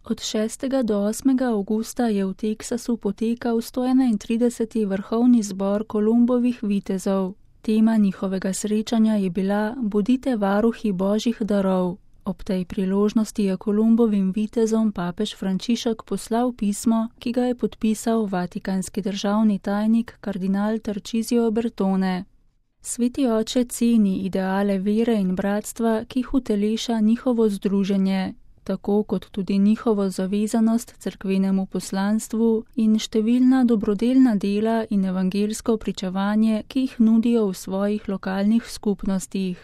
Od 6. do 8. avgusta je v Teksasu potekal 131. vrhovni zbor Kolumbovih vitezov. Tema njihovega srečanja je bila Bodite varuhi božjih darov. Ob tej priložnosti je Kolumbovim vitezom papež Frančišek poslal pismo, ki ga je podpisal vatikanski državni tajnik kardinal Tarcísio Bertone. Sveti oče ceni ideale vere in bratstva, ki jih uteleša njihovo združenje, tako kot tudi njihovo zavezanost cerkvenemu poslanstvu in številna dobrodelna dela in evangelsko pričevanje, ki jih nudijo v svojih lokalnih skupnostih.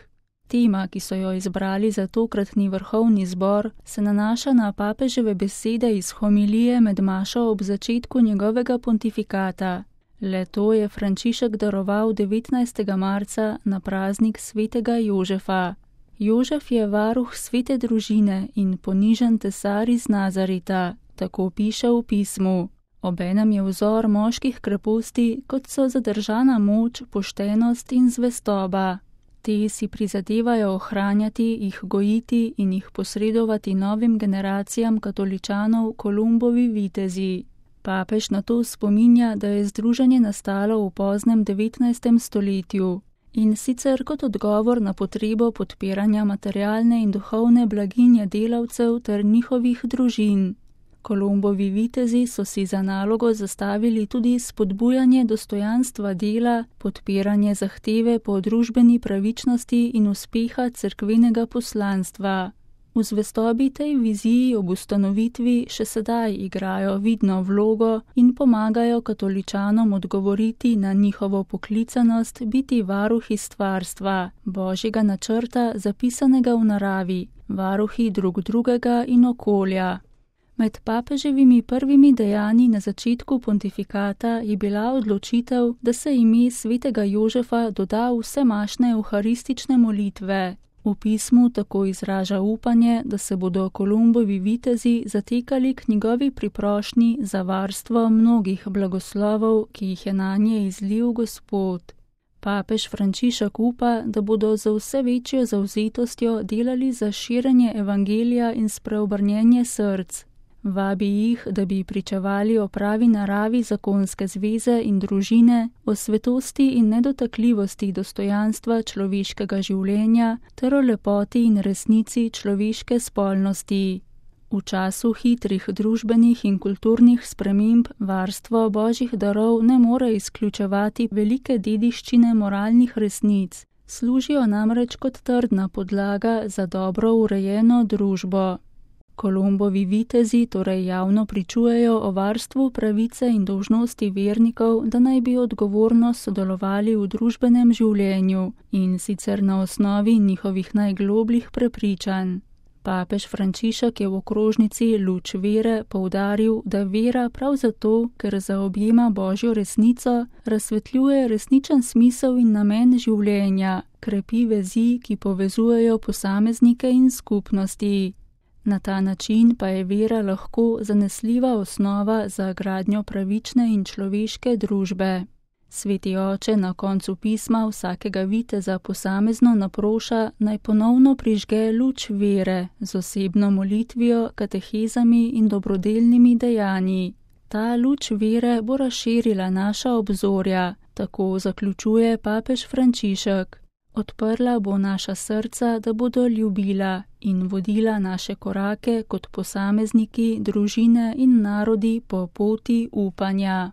Tema, ki so jo izbrali za tokratni vrhovni zbor, se nanaša na papeževe besede iz homilije med mašo ob začetku njegovega pontifikata. Le to je Frančišek daroval 19. marca na praznik svetega Jožefa. Jožef je varuh svete družine in ponižen tesar iz Nazareta, tako piše v pismu. Obenem je vzor moških kreposti, kot so zadržana moč, poštenost in zvestoba. Te si prizadevajo ohranjati, jih gojiti in jih posredovati novim generacijam katoličanov Kolumbovi vitezi. Papež na to spominja, da je združenje nastalo v poznem 19. stoletju in sicer kot odgovor na potrebo podpiranja materialne in duhovne blaginje delavcev ter njihovih družin. Kolumbovi vitezi so si za nalogo zastavili tudi spodbujanje dostojanstva dela, podpiranje zahteve po družbeni pravičnosti in uspeha cerkvenega poslanstva. V zvestobi tej viziji ob ustanovitvi še sedaj igrajo vidno vlogo in pomagajo katoličanom odgovoriti na njihovo poklicanost biti varuhi stvarstva, božjega načrta zapisanega v naravi, varuhi drug drugega in okolja. Med papeževimi prvimi dejanji na začetku pontifikata je bila odločitev, da se ime svetega Jožefa doda v vsemašne euharistične molitve. V pismu tako izraža upanje, da se bodo Kolumbovi vitezi zatekali k njegovi priprošnji za varstvo mnogih blagoslovov, ki jih je nanje izlil Gospod. Papež Frančišek upa, da bodo za vse večjo zavzetostjo delali za širjenje evangelija in spreobrnjenje src. Vabi jih, da bi pričevali o pravi naravi zakonske zveze in družine, o svetosti in nedotakljivosti dostojanstva človeškega življenja ter o lepoti in resnici človeške spolnosti. V času hitrih družbenih in kulturnih sprememb varstvo božjih darov ne more izključevati velike dediščine moralnih resnic, služijo namreč kot trdna podlaga za dobro urejeno družbo. Kolumbovi vitezi torej javno pričujejo o varstvu pravice in dolžnosti vernikov, da naj bi odgovorno sodelovali v družbenem življenju in sicer na osnovi njihovih najglobljih prepričanj. Papež Frančišek je v okrožnici Luč vere poudaril, da vera prav zato, ker zaobjema božjo resnico, razsvetljuje resničen smisel in namen življenja, krepi vezi, ki povezujejo posameznike in skupnosti. Na ta način pa je vera lahko zanesljiva osnova za gradnjo pravične in človeške družbe. Sveti oče na koncu pisma vsakega viteza posamezno naproša, naj ponovno prižge luč vere z osebno molitvijo, katehezami in dobrodelnimi dejanji. Ta luč vere bo razširila naša obzorja, tako zaključuje papež Frančišek. Odprla bo naša srca, da bodo ljubila in vodila naše korake kot posamezniki, družine in narodi po poti upanja.